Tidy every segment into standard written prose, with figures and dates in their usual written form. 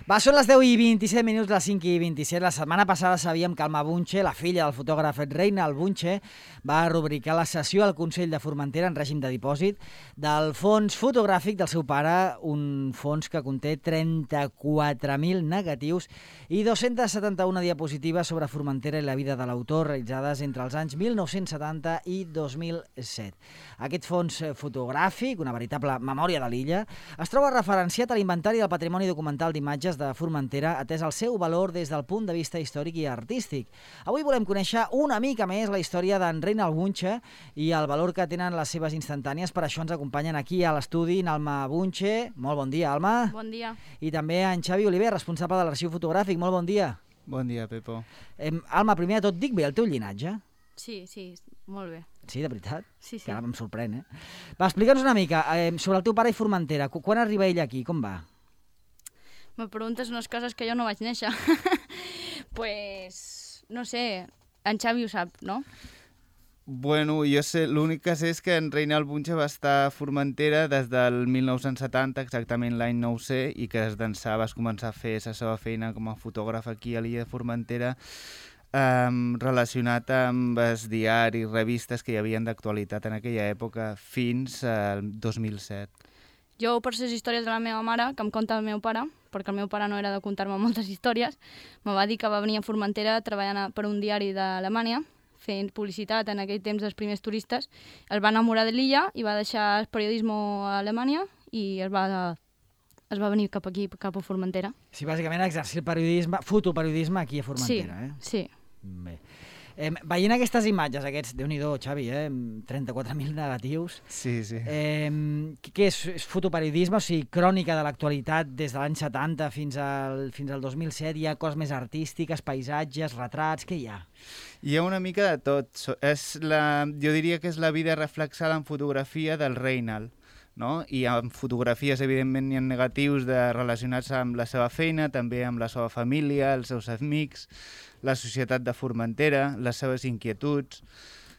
Va, són les 10 i 27 minuts, les 5 i 27. La setmana passada sabíem que Alma Bunche, la filla del fotògraf Reinald Bunche, va rubricar la sessió al Consell de Formentera en règim de dipòsit del fons fotogràfic del seu pare, un fons que conté 34.000 negatius i 271 diapositives sobre Formentera i la vida de l'autor realitzades entre els anys 1970 i 2007. Aquest fons fotogràfic, una veritable memòria de l'illa, es troba referenciat a l'Inventari del Patrimoni Documental d'Imatges de Formentera, atès el seu valor des del punt de vista històric i artístic. Avui volem conèixer una mica més la història d'en Reinald Bunche i el valor que tenen les seves instantànies. Per això ens acompanyen aquí a l'estudi Alma Bunche. Molt bon dia, Alma. Bon dia. I també en Xavi Oliver, responsable de l'arxiu fotogràfic. Molt bon dia. Bon dia, Pepo. Alma, primer de tot, dic bé el teu llinatge? Sí, molt bé. Sí, de veritat? Sí. Que ara em sorprèn, Va, explica'ns una mica sobre el teu pare i Formentera. Quan arriba ell aquí? Com va? Me preguntes unes coses que jo no vaig néixer. Pues, no sé, en Xavi ho sap, no? Bueno, jo sé, l'únic que sé és que en Reinald Bunche va estar a Formentera des del 1970, exactament l'any no ho sé, i que des d'ençà vas començar a fer la seva feina com a fotògraf aquí a l'illa de Formentera, relacionat amb els diaris, revistes que hi havia d'actualitat en aquella època fins al 2007. Jo, per les històries de la meva mare, que em conta el meu pare, perquè el meu pare no era de contar-me moltes històries, me va dir que va venir a Formentera treballant per un diari d'Alemanya, fent publicitat en aquell temps dels primers turistes. Es va enamorar de l'illa i va deixar el periodisme a Alemanya i es va venir cap aquí, cap a Formentera. Sí, bàsicament exercir el periodisme, fotoperiodisme aquí a Formentera, Sí. Bé. Veient aquestes imatges, aquests, Déu-n'hi-do, Xavi, 34.000 negatius. Sí. Què és? És fotoperiodisme, o sigui, crònica de l'actualitat des de l'any 70 fins al 2007? Hi ha coses més artístiques, paisatges, retrats, què hi ha? Hi ha una mica de tot. Jo diria que és la vida reflexada en fotografia del Reinald, no? I amb fotografies, evidentment, hi ha negatius relacionats amb la seva feina, també amb la seva família, els seus amics, la societat de Formentera, les seves inquietuds.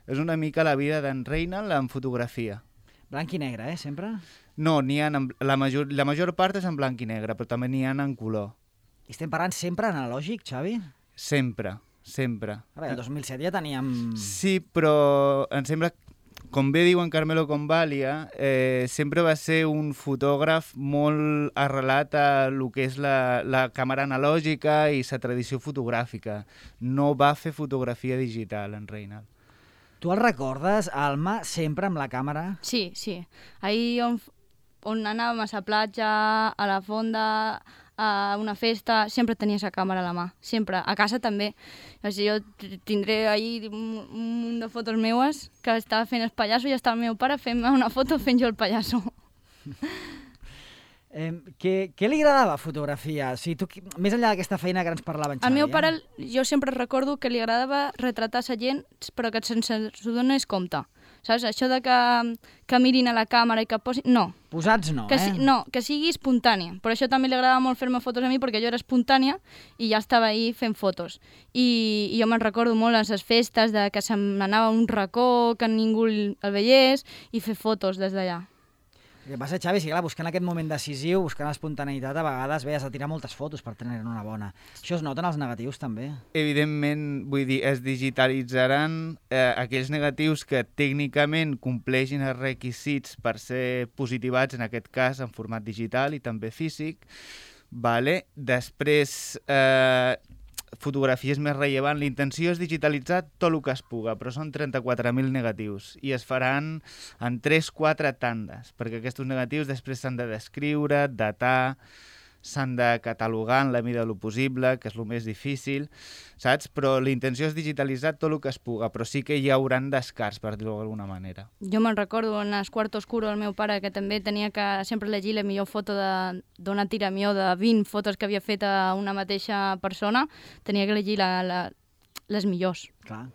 És una mica la vida d'en Reinald en fotografia. Blanc i negre, sempre? No, la major part és en blanc i negre, però també n'hi ha en color. I estem parlant sempre analògic, Xavi? Sempre. A veure, el 2007 ja teníem... Sí, però em sembla, com bé diu en Carmelo Convalia, sempre va ser un fotògraf molt arrelat a el que és la càmera analògica i la tradició fotogràfica. No va fer fotografia digital, en Reinald. Tu el recordes, Alma, sempre amb la càmera? Sí. Ahir on anàvem a la platja, a la fonda, a una festa, sempre tenia la càmera a la mà, sempre. A casa també. O sigui, jo tindré ahir un munt de fotos meues que estava fent el pallasso i estava el meu pare fent una foto fent jo el pallasso. Què li agradava fotografiar? O sigui, més enllà d'aquesta feina que ens parlava en Xavi. Al meu pare, jo sempre recordo que li agradava retratar la gent, però que sense s'ho donés compte. Saps? Això de que mirin a la càmera i que posin... No. Posats no, No, que sigui espontània. Per això també li agradava molt fer-me fotos a mi, perquè jo era espontània i ja estava ahí fent fotos. I jo me'n recordo molt a les festes de que se m'anava a un racó, que ningú el veiés, i fer fotos des d'allà. El que passa, Xavi, és que buscant aquest moment decisiu, buscant l'espontaneïtat, a vegades has de tirar moltes fotos per tenir una bona. Això es nota en els negatius, també? Evidentment, vull dir, es digitalitzaran aquells negatius que tècnicament compleixin els requisits per ser positivats, en aquest cas, en format digital i també físic. Vale? Després, fotografies més rellevant. La intenció és digitalitzar tot el que es puga, però són 34.000 negatius i es faran en 3-4 tandes, perquè aquests negatius després s'han de descriure, datar, s'han de catalogar en la mida del possible, que és el més difícil, saps? Però la intenció és digitalitzar tot el que es puga, però sí que hi hauran descarts, per dir-ho d'alguna manera. Jo me'n recordo en el quart oscuro el meu pare, que també tenia que sempre llegir la millor foto d'una tira millor de 20 fotos que havia fet a una mateixa persona, tenia que llegir les millors. Clar.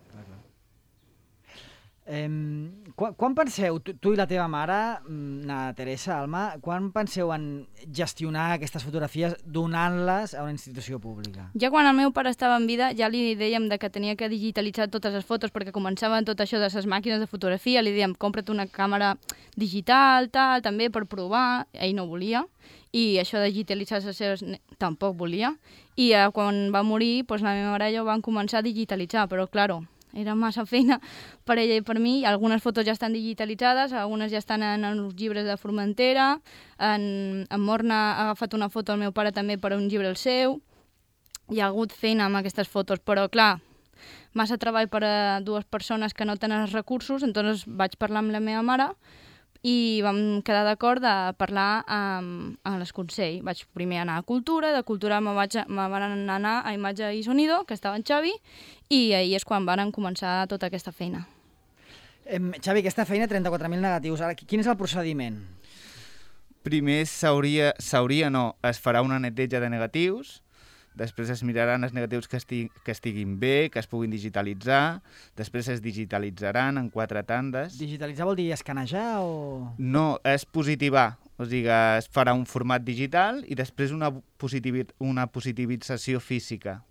Quan penseu, tu i la teva mare, na Teresa, Alma, quan penseu en gestionar aquestes fotografies donant-les a una institució pública? Ja quan el meu pare estava en vida ja li dèiem que tenia que digitalitzar totes les fotos perquè començaven tot això de les màquines de fotografia, li dèiem compra't una càmera digital, tal, també per provar, ell no volia, i això de digitalitzar les seves tampoc volia. I quan va morir, doncs, la meva mare i jo vam començar a digitalitzar, però, claro, era massa feina per ella i per mi. Algunes fotos ja estan digitalitzades, algunes ja estan en els llibres de Formentera, en Morna ha agafat una foto al meu pare també per a un llibre el seu. Hi ha hagut feina amb aquestes fotos, però, clar, massa treball per a dues persones que no tenen els recursos, doncs vaig parlar amb la meva mare i vam quedar d'acord de parlar amb l'Esconsell. Vaig primer anar a Cultura, de Cultura me van anar a Imatge i Sonido, que estava en Xavi, i ahir és quan van començar tota aquesta feina. Xavi, aquesta feina, 34.000 negatius, ara, quin és el procediment? Primer es farà una neteja de negatius, després es miraran els negatius que estiguin bé, que es puguin digitalitzar, després es digitalitzaran en 4 tandes. Digitalitzar vol dir escanejar o...? No, és positivar, o sigui, es farà un format digital i després una positivització física,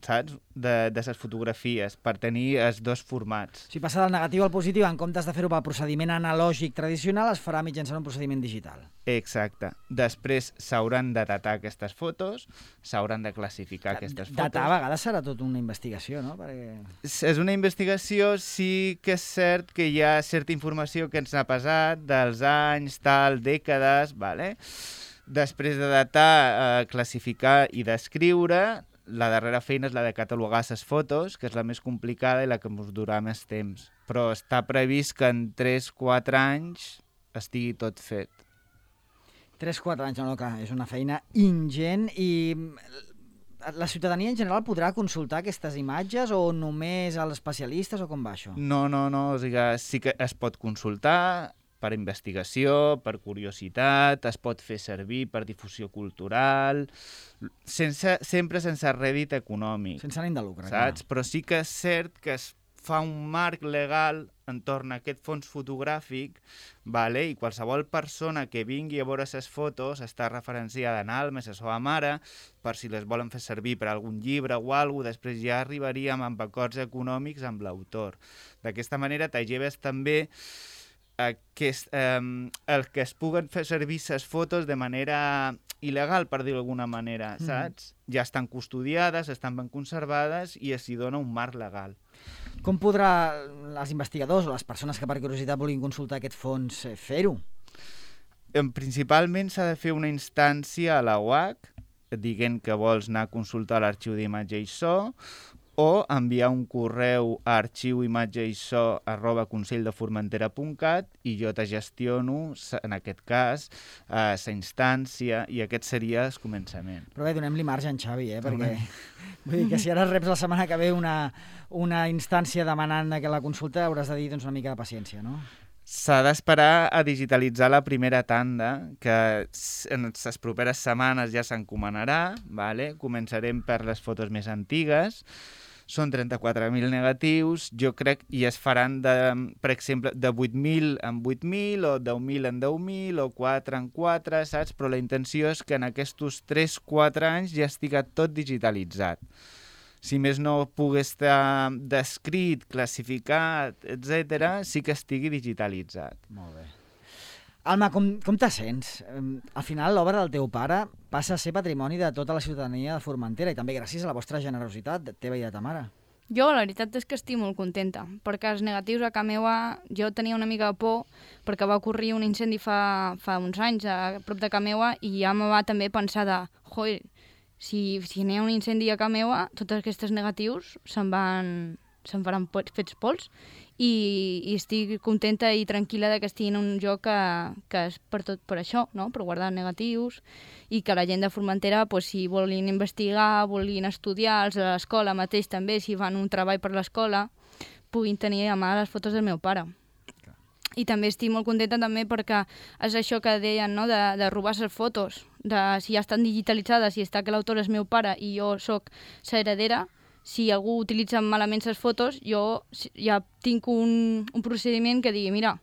saps? De les fotografies, per tenir els dos formats. Si passa del negatiu al positiu, en comptes de fer-ho pel procediment analògic tradicional, es farà mitjançant un procediment digital. Exacte. Després s'hauran de datar aquestes fotos, s'hauran de classificar aquestes fotos. Datar a vegades serà tot una investigació, no? Perquè... És una investigació, sí que és cert que hi ha certa informació que ens ha passat dels anys, dècades, vale? Després de datar, classificar i descriure, la darrera feina és la de catalogar les fotos, que és la més complicada i la que ens durà més temps. Però està previst que en 3-4 anys estigui tot fet. 3-4 anys, no, clar, és una feina ingent. I la ciutadania en general podrà consultar aquestes imatges o només els especialistes o com va això? No, o sigui, sí que es pot consultar per investigació, per curiositat, es pot fer servir per difusió cultural, sempre sense rèdit econòmic. Sense ànim de lucre, saps? Clar. Però sí que és cert que es fa un marc legal entorn a aquest fons fotogràfic, vale? I qualsevol persona que vingui a veure les fotos està referenciada en Almes, a la seva mare, per si les volen fer servir per algun llibre o alguna cosa, després ja arribaríem amb acords econòmics amb l'autor. D'aquesta manera t'alleves també el que es puguen fer servir les fotos de manera il·legal, per dir-ho d'alguna manera, saps? Ja estan custodiades, estan ben conservades i s'hi dona un marc legal. Com podrà els investigadors o les persones que per curiositat vulguin consultar aquest fons fer-ho? Principalment s'ha de fer una instància a la UAC dient que vols anar a consultar l'arxiu d'imatge i so, o enviar un correu a arxiuimatgeiso@conselldefurmentera.cat i jo te gestiono, en aquest cas, la instància, i aquest seria el començament. Però bé, donem-li marge en Xavi, perquè vull dir que si ara reps la setmana que ve una instància demanant que la consulta hauràs de dir una mica de paciència, no? S'ha d'esperar a digitalitzar la primera tanda, que en les properes setmanes ja s'encomanarà, vale? Començarem per les fotos més antigues. Són 34.000 negatius, jo crec, i es faran, per exemple, de 8.000 en 8.000, o 10.000 en 10.000, o 4 en 4, saps? Però la intenció és que en aquests 3-4 anys ja estigui tot digitalitzat. Si més no pugui estar descrit, classificat, etc., sí que estigui digitalitzat. Molt bé. Alma, com te sents? Al final, l'obra del teu pare passa a ser patrimoni de tota la ciutadania de Formentera i també gràcies a la vostra generositat, teva i de ta mare. Jo, la veritat és que estic molt contenta, perquè els negatius a casa meva, jo tenia una mica de por perquè va ocorrir un incendi fa uns anys a prop de casa meva i ja me va també pensar de, joder, si n'hi ha un incendi a casa meva, tots aquests negatius se'n faran fets pols i estic contenta i tranquil·la que estigui en un lloc que és per això, no? Per guardar negatius i que la gent de Formentera, si volguin investigar, volguin estudiar, els de l'escola mateix també, si fan un treball per l'escola, puguin tenir a mà les fotos del meu pare. I també estic molt contenta també perquè és això que deien, no? de robar les fotos, de si ja estan digitalitzades, si està que l'autor és meu pare i jo sóc l'heredera, si algú utilitza malament les fotos, jo ja tinc un procediment que digui, mira,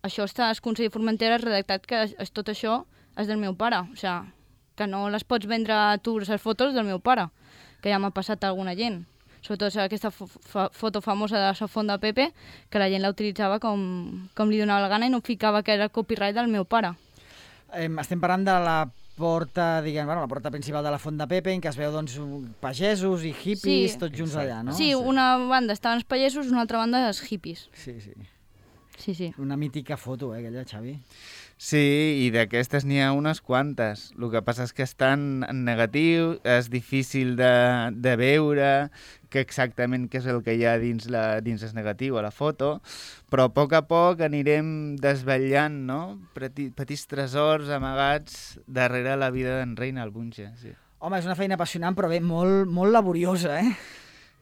això està al Consell de Formentera redactat que tot això és del meu pare, o sigui, que no les pots vendre a tu les fotos del meu pare, que ja m'ha passat a alguna gent. Sobretot aquesta foto famosa de la font de Pepe, que la gent la utilitzava com li donava la gana i no ficava que era copyright del meu pare. Estem parlant de la porta, diguem, bueno, la porta principal de la Font de Pepe, en què es veu doncs, pagesos i hippies, tots junts allà, no? Sí, una banda estaven els pagesos, una altra banda els hippies. Sí. Una mítica foto, aquella, Xavi. Sí, i d'aquestes n'hi ha unes quantes. El que passa és que estan en negatiu, és difícil de veure exactament què és el que hi ha dins el negatiu a la foto, però a poc anirem desvetllant, no? Petits tresors amagats darrere la vida d'en Reina Albunche. Sí. Home, és una feina apassionant, però bé, molt laboriosa, eh?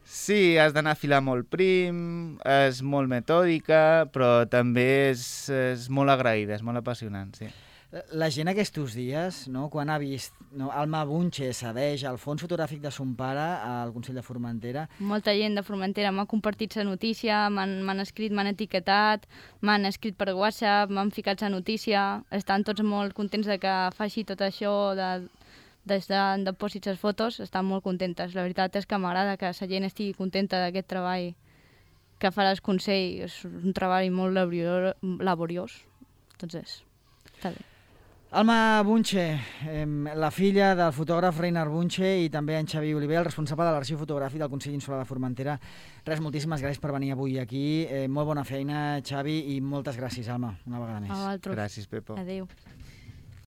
Sí, has d'anar a filar molt prim, és molt metòdica, però també és molt agraïda, és molt apassionant, sí. La gent aquests dies, no, quan ha vist Alma Bunche cedeix el fons fotogràfic de son pare al Consell de Formentera... Molta gent de Formentera m'ha compartit la notícia, m'han escrit, m'han etiquetat, m'han escrit per WhatsApp, m'han ficat la notícia, estan tots molt contents de que faci tot això des de posis les fotos, estan molt contentes. La veritat és que m'agrada que la gent estigui contenta d'aquest treball que farà el Consell. És un treball molt laboriós. Entonces, està bé. Alma Bunche, la filla del fotògraf Reinhard Bunche i també en Xavi Oliver, el responsable de l'arxiu fotogràfic del Consell Insular de Formentera. Res, moltíssimes gràcies per venir avui aquí. Molt bona feina, Xavi, i moltes gràcies, Alma, una vegada més. A vosaltres. Gràcies, Pepo. Adéu.